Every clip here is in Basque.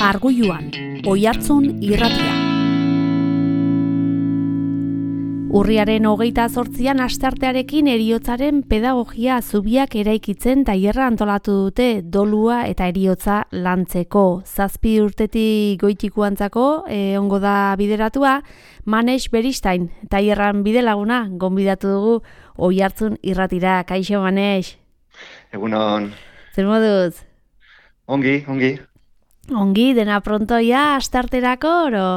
Margulluan, Oihartzun irratia. Urriaren 28an asteartearekin heriotzaren pedagogia zubiak eraikitzen tailerra antolatu dute dolua eta heriotza lantzeko. 7 urtetik goitikuantzako ongo da bideratua, Manex Beristain, tailerran bidelaguna, gonbidatu dugu Oihartzun irratira. Kaixo, Manex. Egunon. Zer moduz? Ongi. Ongi, dena prontoia, astearterako, oro?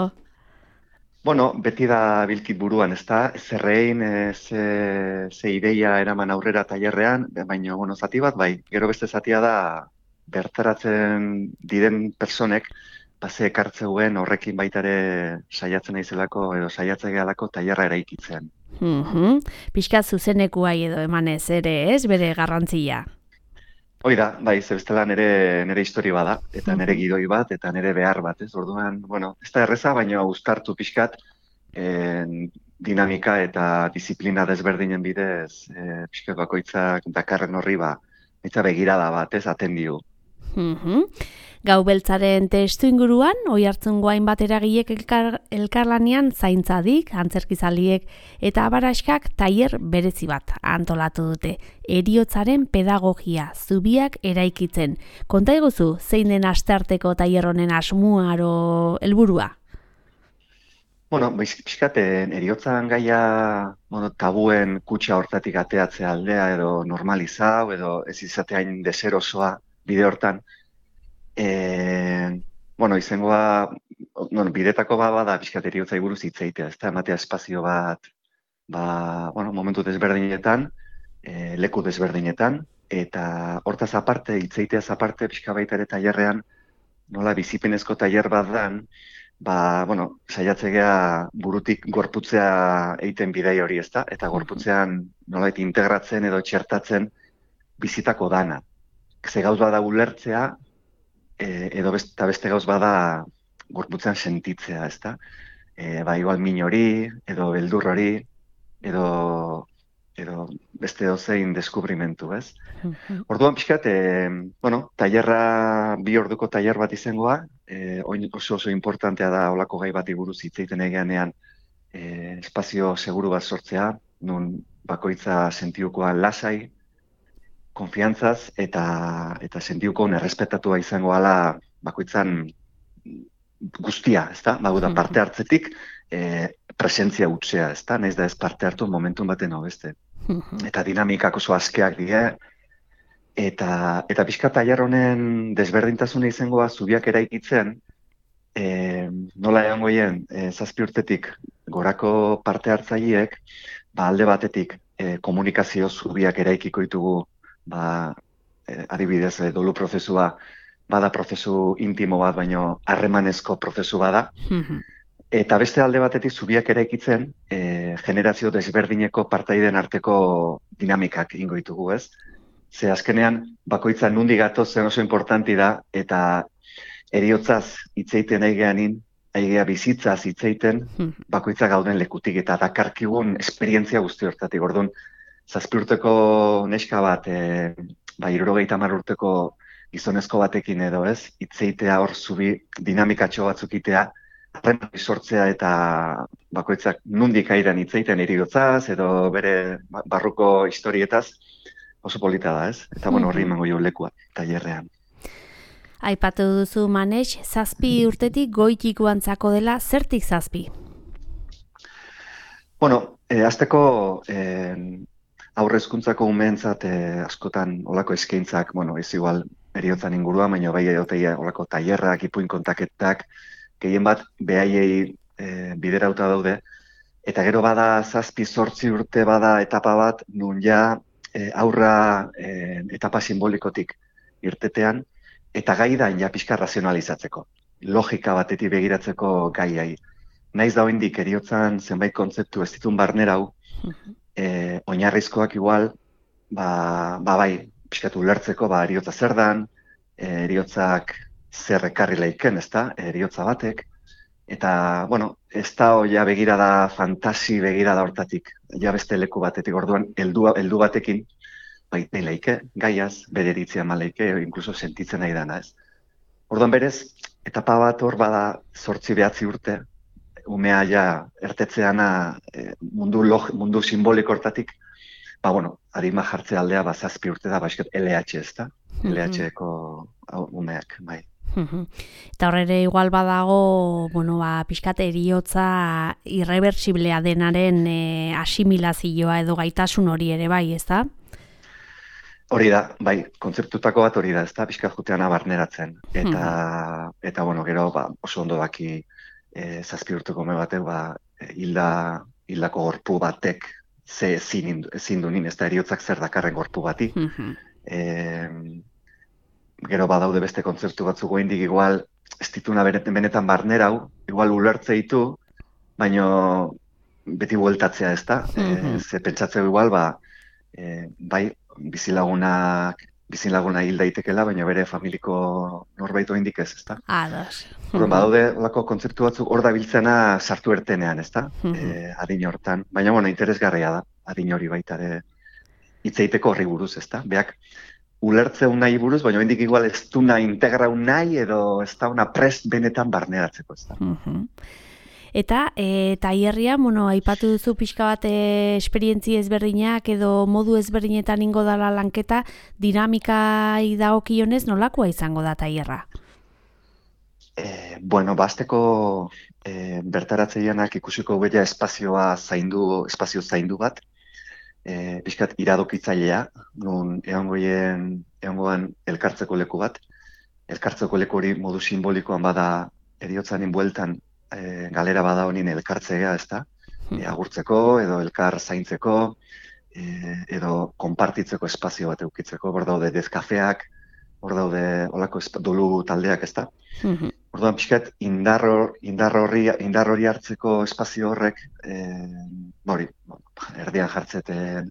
Bueno, beti da bilkit buruan, ezta? Zerrein, ze ideia eraman aurrera tailerrean, baina, zati bat, bai, gero beste zatia da bertaratzen diren personek, ze ekartzeuen horrekin baitare saiatzen naizelako edo saiatzen gehalako tailerra eraikitzen. Pixka zuzenekuai edo emanez ere, ez, bere garrantzia? Hoi da, bai, zebestela nere histori bada, eta nere gidoi bat, eta nere behar bat, ez? Orduan, ez da erreza, baina uztartu pixkat dinamika eta disiplina desberdinen bidez, pixkat bakoitzak dakarren horri eta begirada bat, ez, atendiu. Gau beltzaren testu inguruan, Oihartzungo hainbat eragilek elkarlanean zaintzadik, antzerkizaliek eta abaraskak tailer berezi bat antolatu dute. Heriotzaren pedagogia zubiak eraikitzen. Konta iguzu, zein den astearteko tailer honen asmoa aro helburua? Pixkaten, heriotzan gaia tabuen kutxa hortatik ateatzea aldea edo normalizau edo ez izateain deserosoa bide hortan. Izangoa, bidetako bada pixkat heriotzai buruz hitzeitea, ez da, ematea espazio bat, momentu desberdinetan, leku desberdinetan, eta hortaz aparte, hitzeiteaz aparte, pixka baita ere tailerrean, nola bizipenezko tailer bat dan, saiatzea burutik gorputzea egiten bidei hori, ez da, eta gorputzean nolait integratzen edo txertatzen bizitako dana. Ze gauz bada ulertzea, edo beste gauz bada gorputzean sentitzea, ez da? Igual min hori, edo beldur hori, edo beste dozein deskubrimentu, ez? Orduan pixkat, tailerra 2 orduko tailer bat izangoa, oso importantea da olako gai bati buruz hitz egiten eganean espazio seguru bat sortzea, nun bakoitza sentiukoan lasai, konfiantzaz eta sentiukoan errespetatua izango ala bakoitzan guztia, ez da? Parte hartzetik presentzia utzea, ez da? Naiz da ez parte hartu momentun baten hau beste. Eta dinamikak oso askeak dira, eta pixka tailer honen desberdintasuna izangoa zubiak eraikitzen, nola egon goien 7 urtetik gorako parte hartzaileek, alde batetik komunikazio zubiak eraikiko ditugu, adibidez, dolu prozesua bada prozesu intimo bat, baino harremanezko prozesu bada. Eta beste alde batetik zubiak eraikitzen, generazio desberdineko partaideen arteko dinamikak ingo ditugu, ez? Ze azkenean, bakoitza nundi gatoz zen oso importanti da, eta heriotzaz hitzeiten aigea bizitzaz hitzeiten, bakoitza gauden lekutik, eta dakarkigun esperientzia guzti hortatik. Orduan, 7 urteko neska bat, 70 urteko gizonezko batekin edo ez, hitzeitea hor zubi dinamikatxo batzuk itea, harreman sortzea eta bakoitzak nundik airan hitzeiten heriotzaz edo bere barruko historietaz, oso polita da, ez? Eta horri emango jo lekua, tailerrean. Aipatu duzu, Manex, 7 urtetik goitikuantzako dela, zertik 7? Hasteko aurre hezkuntzako umeentzat askotan olako eskaintzak, ez igual heriotzan inguruan, baina bai edoteia olako tailerrak, ipuin kontaketak, gehien bat behaiei biderauta daude, eta gero bada 7-8 urte bada etapa bat, nun ja aurra etapa simbolikotik irtetean, eta gai da ja pixka razionalizatzeko, logika batetik begiratzeko gaiai. Naiz da oraindik heriotzan zenbait kontzeptu ez ditun barnerau, oinarrizkoak igual, bai, pixkatu ulertzeko, heriotza zer dan, heriotzak zer ekarri laiken, ez da, heriotza batek, eta, ez da ja begirada, fantasi begirada hortatik, ja beste leku batetik, orduan, heldu batekin, baita laike, gaiaz, bere eritzia malaike, inkluso sentitzen nahi dana, ez. Orduan berez, etapa bat hor bada 8-9 urte, umea ja ertetzeana mundu simboliko hortatik, bueno, arima jartze aldea 7 urte da, basket LH ez da, LH-eko umeak, bai. Eta horre igual badago, pixkat eriotza irreversiblea denaren asimilazioa edo gaitasun hori ere bai, ez da? Hori da, bai, kontzeptutako bat hori da, ez da, pixkat juteana barneratzen. Eta gero, oso ondo daki 7 urteko ume batek, hildako gorpu batek ze ezin du nin, ez da, eriotzak zer dakarren gorpu bati. Gero badaude beste kontzeptu batzuk goindik igual ez dituna benetan barnerau, igual ulertze ditu, baino beti bueltatzea ez da. Ze pentsatzeu igual, bai, bizilaguna hil daitekela, baina bere familiko norbait oindik ez, ezta? Ados. Badaude lako kontzeptu batzuk hor da biltzena sartu ertenean, ezta? Adin hortan. Baina, interesgarria da, adin hori baita ere hitzeiteko horri buruz, ezta? Beak, ulertzeu nahi buruz, baina oindik igual ez duna integrau nahi edo ez da una prest benetan barneratzeko, ezta? Eta tailerria, aipatu duzu pixka bat esperientzia ezberdinak edo modu ezberdinetan ingo dala lanketa, dinamikai dagokionez nolakoa izango da tailerra? Azteko bertaratzeianak ikusiko bella espazio zaindu bat, pixkat iradokitzailea, nun egongoan elkartzeko leku bat. Elkartzeko leku hori modu simbolikoan bada eriotzanin bueltan galera bada honin elkartzea, ez da? Agurtzeko, edo elkar zaintzeko, edo konpartitzeko espazio bat eukitzeko. Hor daude dezkafeak, hor daude olako dolu taldeak, ez da? Orduan pixkat indar hori hartzeko espazio horrek, erdian jartzeten,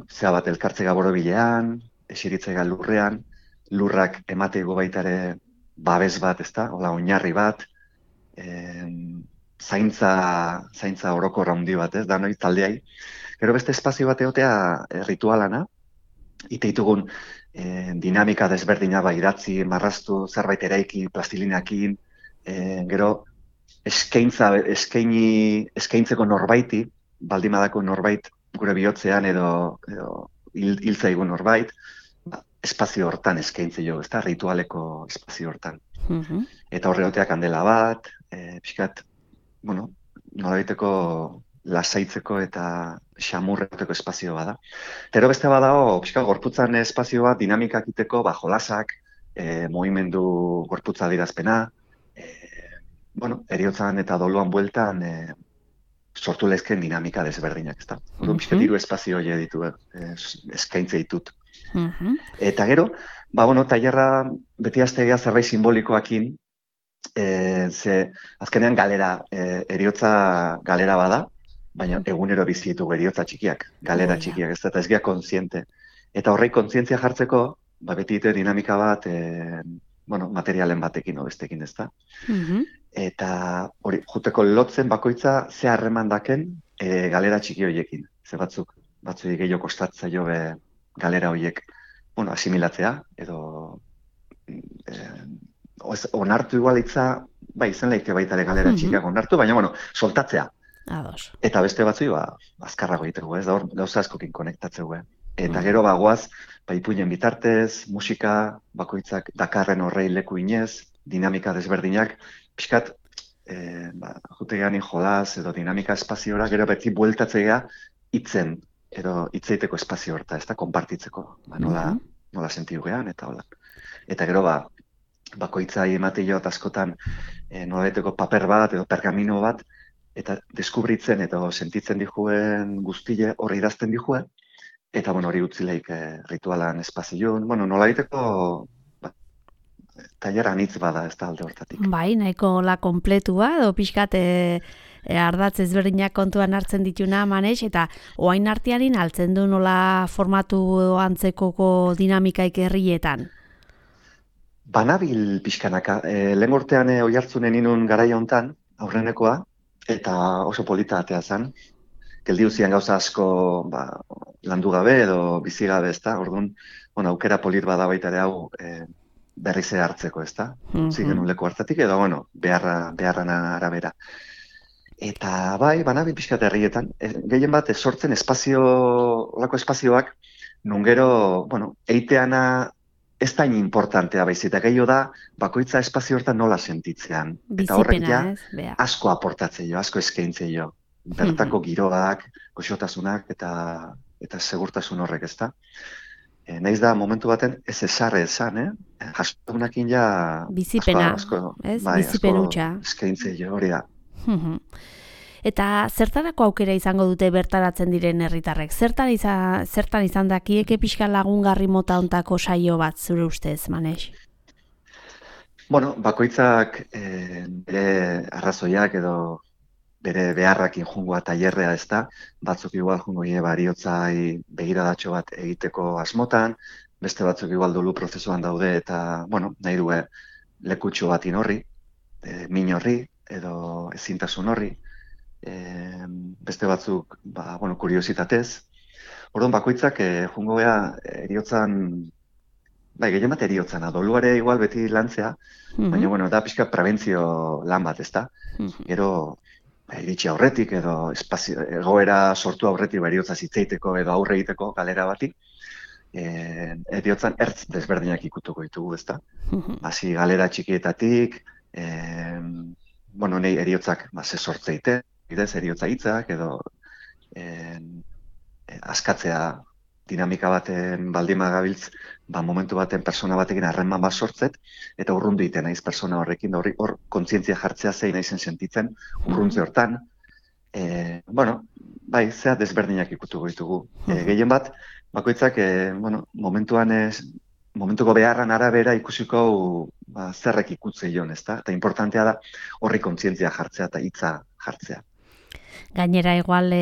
zea bat elkartzega borobilean, esiritzega lurrean, lurrak emateko baitare babes bat, ez da? Ola, oinarri bat, zaintza orokor handi bat, ez da, noi taldeai. Gero beste espazio bat egotea ritualana, iteitugun dinamika desberdina idatzi, marraztu, zerbait eraiki, plastilinakin, gero eskaintzeko norbaiti, baldimadako norbait gure bihotzean edo hiltzaigun norbait, espazio hortan eskaintze jo, ez da, ritualeko espazio hortan. Eta horregoteak kandela bat, pixkat, nolabaiteko lasaitzeko eta xamurreteko espazio bada. Tero beste badago, pixkat, gorputzan espazio bat dinamikak iteko, jolasak, mugimendu gorputza dirazpena, eriotzan eta doluan bueltan sortu lezken dinamika desberdinak, ez da. Orduan pixkat, 3 espazio hori ditu, eskaintze ditut. Eta gero, tailerra beti aztegea zerbait simbolikoakin, ze azkenean eriotza galera bada, baina egunero bizi ditugu eriotza txikiak, galera txikiak, ez da, eta ez gea kontziente. Eta horrei kontzientzia jartzeko, beti dite dinamika bat, materialen batekin bestekin, ez da. Eta hori, juteko lotzen bakoitza ze harreman daken galera txiki horiekin. Ze batzuk gehiago kostatza jo galera horiek asimilatzea, edo onartu igualitza, izen lehike baita galera txikiak onartu, baina, soltatzea. Eta beste batzui, azkarrago egiteko, ez da hor, gauza askokin konektatzeu. Eta gero bagoaz, ipuinen bitartez, musika, bakoitzak dakarren horrei leku inez, dinamika desberdinak, pixkat, jutegean jolaz edo dinamika espaziora, gero beti bueltatzea hitzen, edo hitzeiteko espazio horta, ez da, konpartitzeko, nola sentiu gehan, eta hola. Eta gero, bakoitzai emateio askotan nolabaiteko paper bat edo pergamino bat, eta deskubritzen edo sentitzen dijuen guztile hori idazten dijuen, eta hori utzileik ritualan espazioan, nolabaiteko tailer anitz bada ez da alde hortatik. Bai, nahiko la kompletua, edo pixkat ardatz ezberdinak kontuan hartzen dituna manez, eta oain artearin altzen du nola formatu antzekoko dinamikaik herrietan? Banabil pixkanaka. Lehen urtean oihartzunen inun garaia hontan, aurrenekoa, eta oso polita atea zen. Geldiu zian gauza asko landu gabe edo bizi gabe, ezta? Orduan, aukera polit bada baita ere hau berriz hartzeko, ezta? Utzi genuen leku hartatik, edo, bueno, beharran arabera. Eta bai, banabi pixkat herrietan, gehien bat sortzen olako espazioak, nun gero, bueno, eiteana ez da importantea baizik, eta gehiago da, bakoitza espazio hortan nola sentitzean. Eta horrek ja, asko aportatze jo, asko eskaintze jo. Bertako giroak, goxotasunak eta segurtasun horrek, ezta? Naiz da, momentu baten, ez esarre esan, jasotunakin ja... Bizipena, ez? Bizipen hutsa. Eskaintze jo, hori da. Eta zertarako aukera izango dute bertaratzen diren herritarrek? Zertan izan dakieke pixka lagungarri mota ontako saio bat zure ustez, Manex? Bueno, bakoitzak bere arrazoiak edo bere beharrakin jungoa tailerrea ez da, batzuk igual jungo bariotzai begiradatxo bat egiteko asmotan, beste batzuk igual dolu prozesuan daude eta, bueno, nahi du lekutxo bat horri, min horri edo ezintasun horri, beste batzuk, bueno, kuriositatez. Orduan bakoitzak jungo eriotzan, gehien bat eriotzana, doluare igual beti lantzea, baina, bueno, da pixka prebentzio lan bat, ez da? Gero, iritsi aurretik edo egoera sortu aurretik eriotza zitzeiteko edo aurre egiteko galera bati, eriotzan ertz desberdinak ikutuko ditugu, ez da? Hasi galera txikietatik, bueno, nahi eriotzak ze sortzeite, bidez eriotza hitzak edo askatzea dinamika baten baldima gabiltz, momentu baten persona batekin harreman bat sortzet, eta urrundu egiten naiz persona horrekin, da hor kontzientzia jartzea zein naizen sentitzen, urruntze hortan. Bueno, bai, zea desberdinak ikutuko ditugu. Gehien bat, bakoitzak, bueno, momentuko beharran arabera ikusiko zerrek ikutze joan, ezta? Eta importantea da horri kontzientzia jartzea eta hitza jartzea. Gainera igual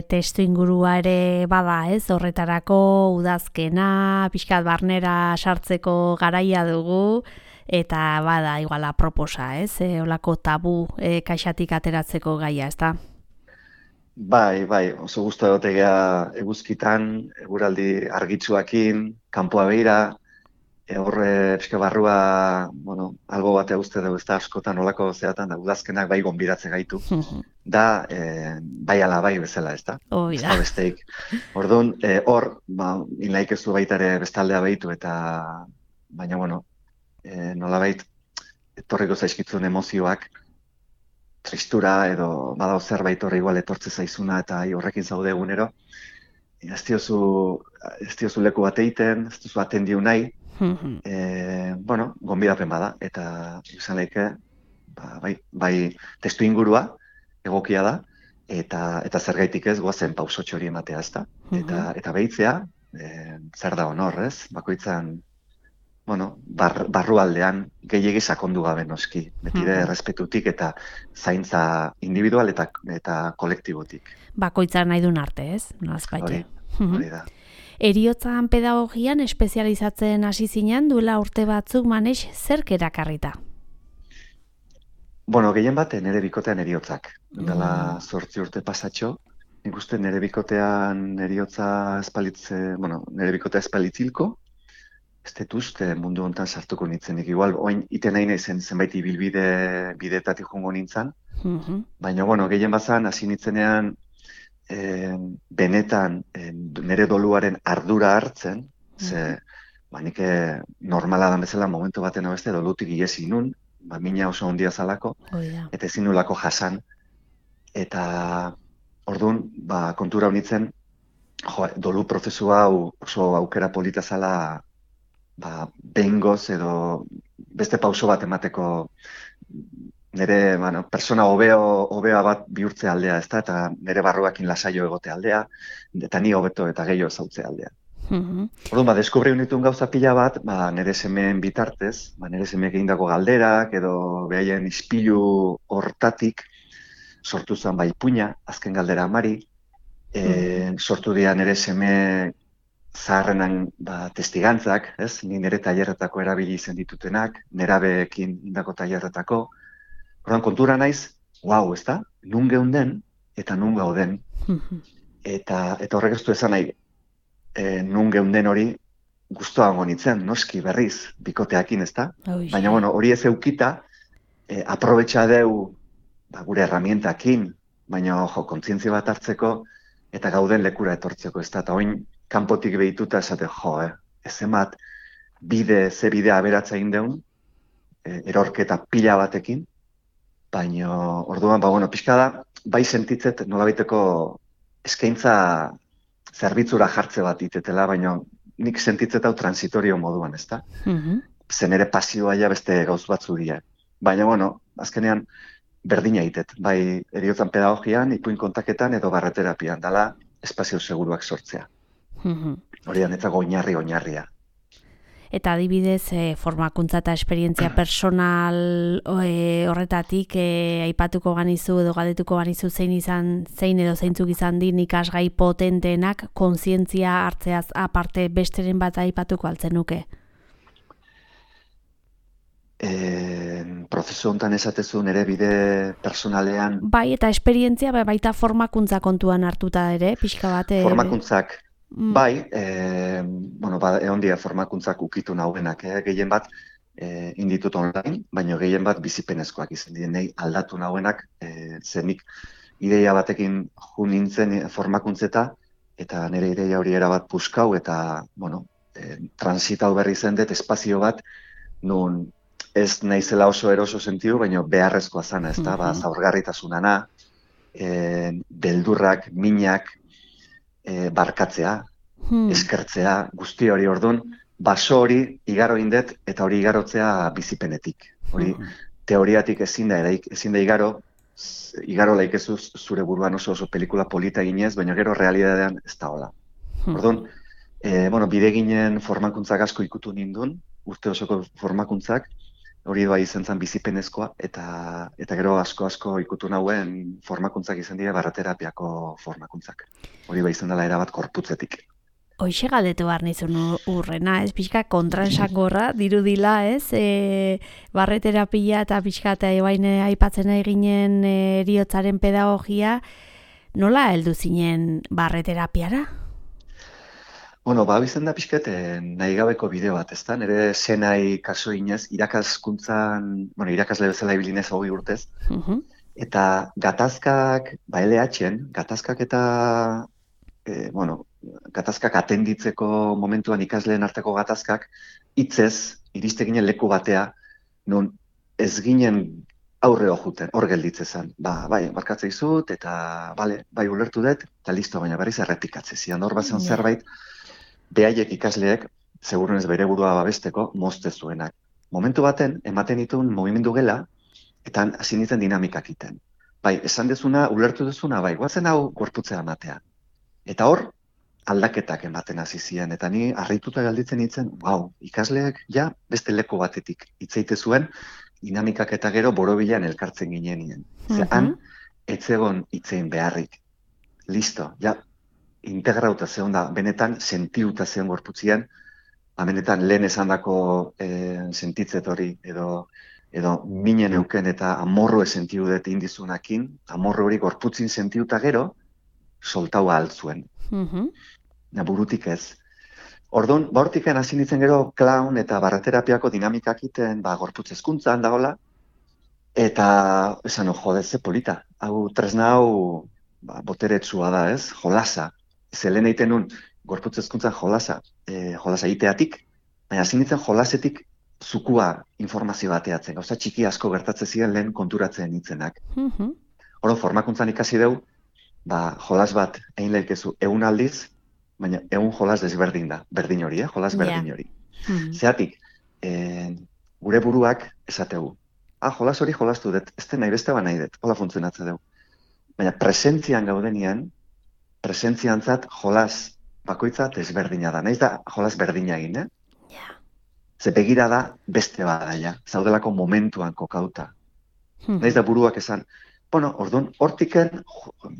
testu ingurua ere bada, ez? Horretarako udazkena, pixkat barnera sartzeko garaia dugu, eta bada igual aproposa, ez? Olako tabu kaxatik ateratzeko gaia, ez da? Bai, oso guztu egotegea eguzkitan, eguraldi argitsuakin, kanpoa behira, horre pixka barrua, bueno, albo batea uste dugu ez da askotan olako zeatan, da udazkenak bai gonbidatze gaitu, da bai ala bai bezala, ez da? Ez da besteik. Orduan, hor, inlaik ez du baita ere bestaldea behitu, eta baina, bueno, nolabait, etorriko zaizkitzun emozioak, tristura edo badao zerbait horre igual etortze zaizuna eta horrekin zaude egunero, ez diozu leku bat egiten, ez duzu atendiu nahi, bueno, gonbidapen bada, eta izan leike, bai, testu ingurua egokia da, eta zergaitik ez goazen pausotxo hori ematea, ez da? Eta behitzea, zer da honor, ez? Bakoitzan, bueno, barrualdean gehiegi sakondu gabe noski, betire errespetutik eta zaintza individual eta kolektibotik. Bakoitzan nahi duen arte, ez? Nolazpaite. Hori da. Eriotzan pedagogian espezializatzen hasi zinen duela urte batzuk, Manex, zerk erakarrita? Bueno, gehien bat nire bikotean eriotzak. Dela 8 urte pasatxo. Nik uste nire bikotean eriotza nire bikotea espalitzilko. Ez dut uste mundu honetan sartuko nintzenik. Igual, oin iten nahi nahi zenbait bideetatik jongo nintzen. Baina, bueno, gehien bazan, hasi nintzenean, benetan nire doluaren ardura hartzen, ze nik normala da bezala momentu baten abeste dolutik iesi nun, mina oso ondia zalako, eta ezin nulako jasan. Eta orduan, kontura honitzen, dolu prozesu hau oso aukera polita zala behingoz edo beste pauso bat emateko nire persona hobea bat bihurtze aldea, ezta, eta nire barruakin lasaio egote aldea, eta ni hobeto eta gehiago zautze aldea. Orduan, deskubriu nituen gauza pila bat, nire semeen bitartez, nire semeek egindako galderak, edo behaien ispilu hortatik, sortu zen bai puina, azken galdera amari, sortu dira nire seme zaharrenan testigantzak, ez? Ni nire tailerretako erabili izen ditutenak, nerabeekin indako tailerretako. Orduan, kontura naiz, ez da, nun geunden eta nun gauden. Eta horrek ez du esan nahi, nun geunden hori gustoago nintzen, noski berriz, bikoteakin, ezta? Ui. Baina, bueno, hori ez eukita, aprobetxa deu gure herramientakin, baina, kontzientzia bat hartzeko, eta gauden lekura etortzeko, ezta? Eta oin, kanpotik behituta esate, ez emat, ze bidea aberatza egin deun, erorketa pila batekin, baina, orduan, pixka da, bai sentitzet nolabaiteko eskaintza zerbitzura jartze bat itetela, baina nik sentitzet hau transitorio moduan, ezta? Zen ere pasioa ja beste gauz batzu dira. Baina, azkenean berdina itet, bai heriotzan pedagogian, ipuin kontaketan edo barreterapian, dala espazio seguruak sortzea. Hori da netzako oinarria. Eta adibidez, formakuntza eta esperientzia personal horretatik aipatuko ganizu edo galdetuko ganizu zein edo zeintzuk izan din ikasgai potenteenak kontzientzia hartzeaz aparte besteren bat aipatuko altzenuke? Prozesu honetan esatezu nere bide personalean... Bai, eta esperientzia baita formakuntza kontuan hartuta ere, pixka bat... Formakuntzak... Bai, egon dira formakuntzak ukitu nahuenak, gehien bat inditut online, baina gehien bat bizipenezkoak izan dira, nahi aldatu nahuenak, zenik ideia batekin ju nintzen formakuntzeta, eta nire ideia hori erabat puskau, eta, transitau berri zen dut espazio bat, nun ez naizela oso eroso sentiu, baina beharrezkoa zana, ez da, zaurgarritasunana, beldurrak, minak, barkatzea, eskertzea, guzti hori orduan, baso hori igaro indet eta hori igarotzea bizipenetik. Hori teoriatik ezin da igaro laikezu zure buruan oso pelikula polita ginez, baina gero realidadean ez da hola. Orduan, bide ginen formakuntzak asko ikutu nindun, urte osoko formakuntzak, hori doa izan zen bizipenezkoa, eta gero asko ikutu nahuen formakuntzak izan dira barraterapiako formakuntzak. Hori izan dela erabat korputzetik. Hoxe galdetu behar nizun urrena, ez pixka kontransangorra dirudila, ez? Barreterapia eta pixka eta aipatzen eginen heriotzaren pedagogia, nola heldu zinen barreterapiara? Bizten da pixket nahi gabeko bideo bat, ezta? Nire senai kaso inez, irakasle bezala ibilinez 20 urtez, eta gatazkak, gatazkak eta, gatazkak atenditzeko momentuan ikasleen arteko gatazkak, hitzez, iriste ginen leku batea, non ez ginen aurre hojuten, hor gelditzezan. Barkatze izut, eta bai ulertu dut, eta listo, baina berriz errepikatze zian. Hor bazen zerbait, behaiek ikasleek, segurunez bere burua babesteko, mozte zuenak. Momentu baten, ematen dituen mugimendu gela, eta hasi nintzen dinamikak iten. Esan dezuna, ulertu dezuna, guazen hau gorputzea ematea. Eta hor, aldaketak ematen hasi ziren, eta ni harrituta galditzen nintzen, ikasleek beste leku batetik hitzeite zuen, dinamikak eta gero borobilan elkartzen ginenien. Han, etzegon hitzein beharrik. Listo, integrauta zeon da, benetan sentiuta zeon gorputzian, benetan lehen esandako sentitzet hori, edo minen euken eta amorru sentiu dut indizunakin, amorru hori gorputzin sentiuta gero, soltau altzuen. Burutik ez. Orduan, hortiken hasi nintzen gero clown eta barreterapiako dinamikak iten, gorputz hezkuntzan dagoela, eta esan, ze polita. Hau tresna hau boteretsua da, ez? Jolasa. Zelen egiten nun, gorputz hezkuntzan jolasa iteatik, baina hasi nintzen jolasetik zukua informazio bateatzen. Gauza txiki asko gertatzen ziren lehen konturatzen nintzenak. Orduan, formakuntzan ikasi dugu, jolas bat egin lehikezu 100 aldiz, baina 100 jolas desberdin da, berdin hori, jolas berdin hori. Zeatik, gure buruak esategu, jolas hori jolastu dut, ez nahi beste nahi dut, hola funtzionatzen dugu. Baina presentzian gaudenian, presentziantzat jolas bakoitza desberdina da, nahiz da jolas berdina egin, Ze begira da beste bada, zaudelako momentuan kokauta. Nahiz da buruak esan, orduan, hortiken,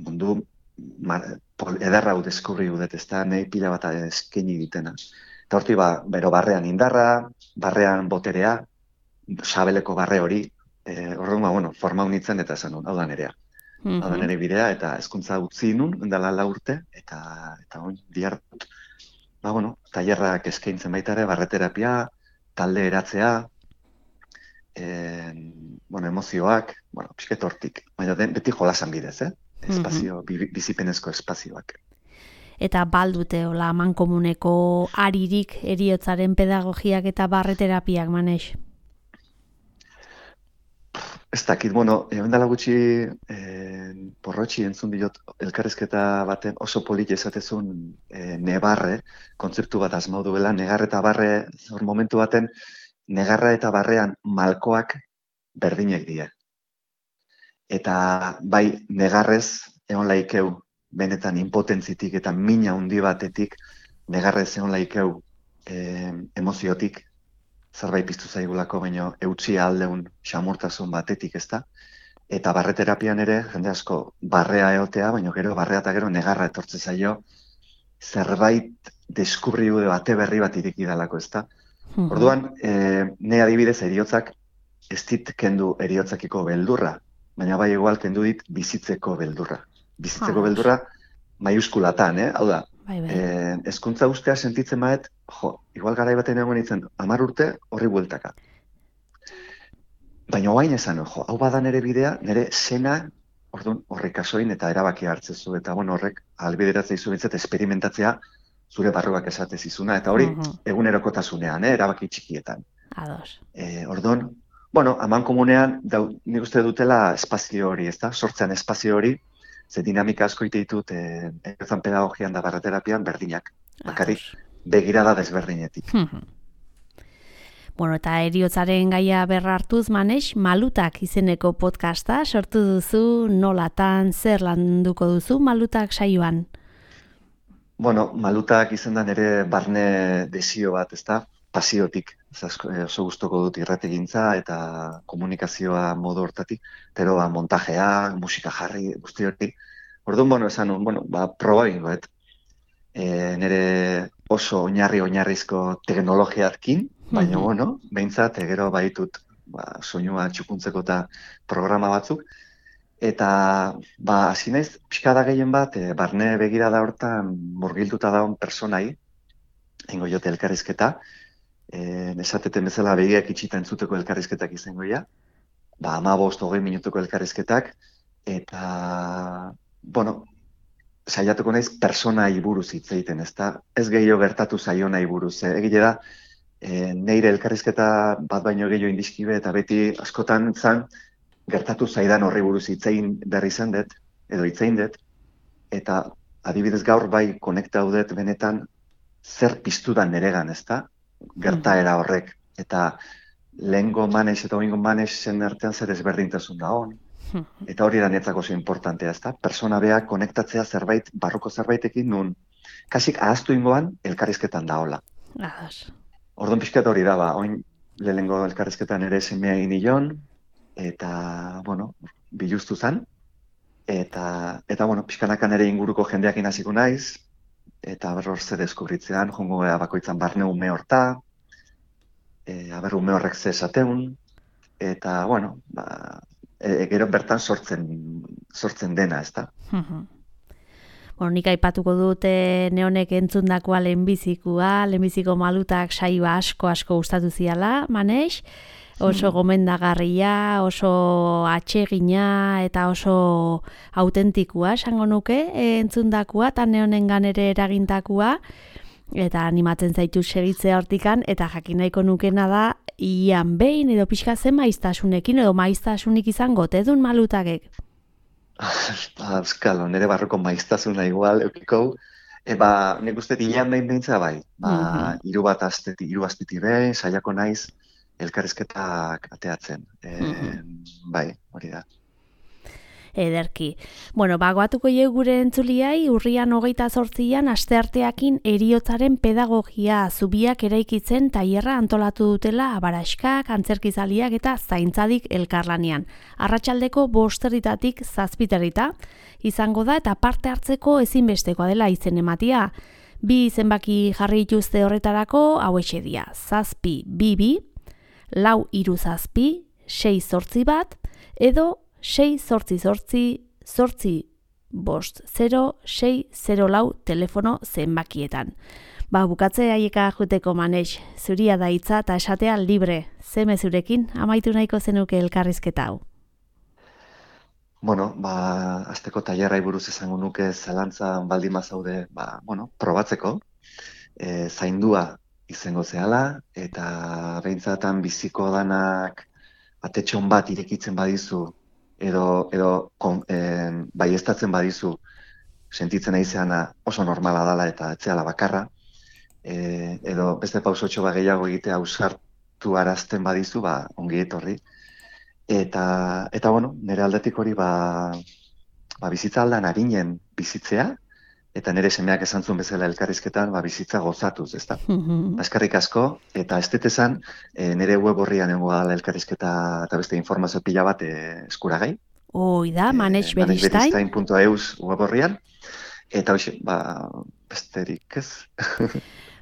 mundu edarra hau deskurri dut, ez da, nahi pila bat eskaini ditena. Eta horti, bero barrean indarra, barrean boterea, sabeleko barre hori, orduan, forma unitzen eta esan nun, hau da nerea. Hau da nere bidea, eta hezkuntza utzi nun, endala 4 urte, eta dihartut, tailerrak eskaintzen baita ere, barreterapia, talde eratzea, emozioak, pixket hortik, baina beti jolasan bidez, espazio, bizipenezko espazioak. Eta baldute, hola, mankomuneko aririk heriotzaren pedagogiak eta barreterapiak, Maneix? Ez dakit, dela gutxi porrotxi entzun diot elkarrizketa baten oso polit esatezun nebarre, kontzeptu bat asmau duela, negar eta barre, hor momentu baten, negarra eta barrean malkoak berdinek die. Eta bai negarrez, egon laikeu, benetan impotentzitik eta mina handi batetik, negarrez egon laikeu emoziotik, zerbait piztu zaigulako, baino eutxi aldeun xamurtasun batetik, ezta? Eta barreterapian ere, jende asko barrea eotea, baino gero barrea eta gero negarra etortze zaio, zerbait deskubriu bate berri bat ireki dalako, ezta? Orduan, ne adibidez heriotzak ez dit kendu heriotzakiko beldurra, baina bai igual kendu dit bizitzeko beldurra. Bizitzeko beldurra maiuskulatan, hau da, hezkuntza ustea sentitzen baet, igual garai baten egon nintzen 10 urte horri bueltaka. Baina oain esan, hau bada nere bidea, nere sena, orduan horrek kasoin eta erabaki hartzezu, eta horrek albideratzea izu bintzat esperimentatzea zure barruak esatez izuna, eta hori egunerokotasunean, erabaki txikietan. Ados. Orduan, amankomunean, nik uste dutela espazio hori, ezta? Sortzean espazio hori, ze dinamika asko ite ditut heriotzan pedagogian da barreterapian berdinak. Bakarrik begirada desberdinetik. Eta heriotzaren gaia berra hartuz, Maneix, Malutak izeneko podcasta sortu duzu, nolatan, zer landuko duzu Malutak saioan? Malutak izendan ere barne desio bat, ezta? Pasiotik. Oso gustoko dut irrategintza eta komunikazioa modu hortatik, pero montajea, musika jarri, guzti hori. Orduan, esan, proba egingo, nire oso oinarrizko teknologiatkin, baina, behintzat, gero baitut soinua txukuntzeko eta programa batzuk, eta, hasi naiz, pixkada gehien bat, barne begirada hortan murgilduta daun personai, ingo jote elkarrizketa, esateten bezala begiak itxita entzuteko elkarrizketak izango ja, 15-20 minutuko elkarrizketak, eta, saiatuko naiz personai buruz hitz egiten, ezta? Ez gehiago gertatu zaio nahi buruz. Egile da, neire elkarrizketa bat baino gehiago indiskibe, eta beti askotan zan, gertatu zaidan horri buruz hitzein berri zen dut, edo hitzein dut, eta adibidez gaur bai konektaudet benetan zer piztudan neregan, ezta? Gertaera horrek, eta lehengo Maneix eta oingo Maneixen artean zer ezberdintasun da hon, eta hori da netzako oso importantea, ezta? Persona beak konektatzea zerbait, barruko zerbaitekin nun, kasik ahaztu ingoan elkarrizketan da hola. Orduan pixkat hori da, oin lehengo elkarrizketan ere semea egin nion, eta, biluztu zan, eta pixkanakan ere inguruko jendeakin hasiko naiz, eta berror ze deskubritzean, jongo bakoitzan barne ume horta, ume horrek ze esateun, eta, gero bertan sortzen dena, ezta? Nik aipatuko dute neonek entzundakoa lehenbiziko Malutak saioa asko gustatu ziala, Maneix, oso gomendagarria, oso atsegina eta oso autentikua, esango nuke, entzundakoa, eta neonengan ere eragintakoa, eta animatzen zaitu segitzea hortikan, eta jakin nahiko nukena da, ian behin edo pixka zen maiztasunekin, edo maiztasunik izango, tedun Malutakek? Euskalo, nire barroko maiztasuna igual, eukiko, nik uste ian behin behintza bai, 3 asteti behin, saiako naiz, elkarrizketak ateatzen. Bai, hori da. Ederki. Bagoatuko gure entzuliai, urrian 28an astearteakin heriotzaren pedagogia zubiak eraikitzen tailerra antolatu dutela abaraskak, antzerkizaliak eta zaintzadik elkarlanean. Arratsaldeko 5:00 7:00 izango da eta parte hartzeko ezinbestekoa dela izen ematia. 2 zenbaki jarri dituzte horretarako, hauexe dira, 722 437 681 edo 688-850-604 telefono zenbakietan. Bukatze haieka juteko Manex, zuria da hitza eta esatea libre. Ze mezurekin amaitu nahiko zenuke elkarrizketa hau? Azteko tailerrai buruz esango nuke zalantzan baldin bazaude, probatzeko, zaindua izango zehala, eta behintzatan biziko danak atetxon bat irekitzen badizu, edo baieztatzen badizu, sentitzen aizeana oso normala dela eta etzeala bakarra, edo beste pausotxo gehiago egitea ausartu arazten badizu, ongi etorri. Eta nire aldetik hori bizitza aldan arinen bizitzea, eta nire semeak esan zuen bezala elkarrizketan bizitza gozatuz, ezta? Eskerrik asko, eta ez dut esan, nire web horrian egongo dela elkarrizketa eta beste informazio pila bat eskuragai. Hoi da, Manex Beristain. manexberistain.eus web horrian, eta hoxe, besterik ez.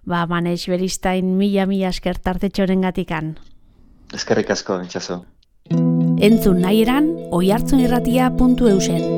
Manex Beristain mila esker tartetxoren gatikan. Eskerrik asko, Itxaso. Entzun nahi eran, oihartzunirratia.eusen.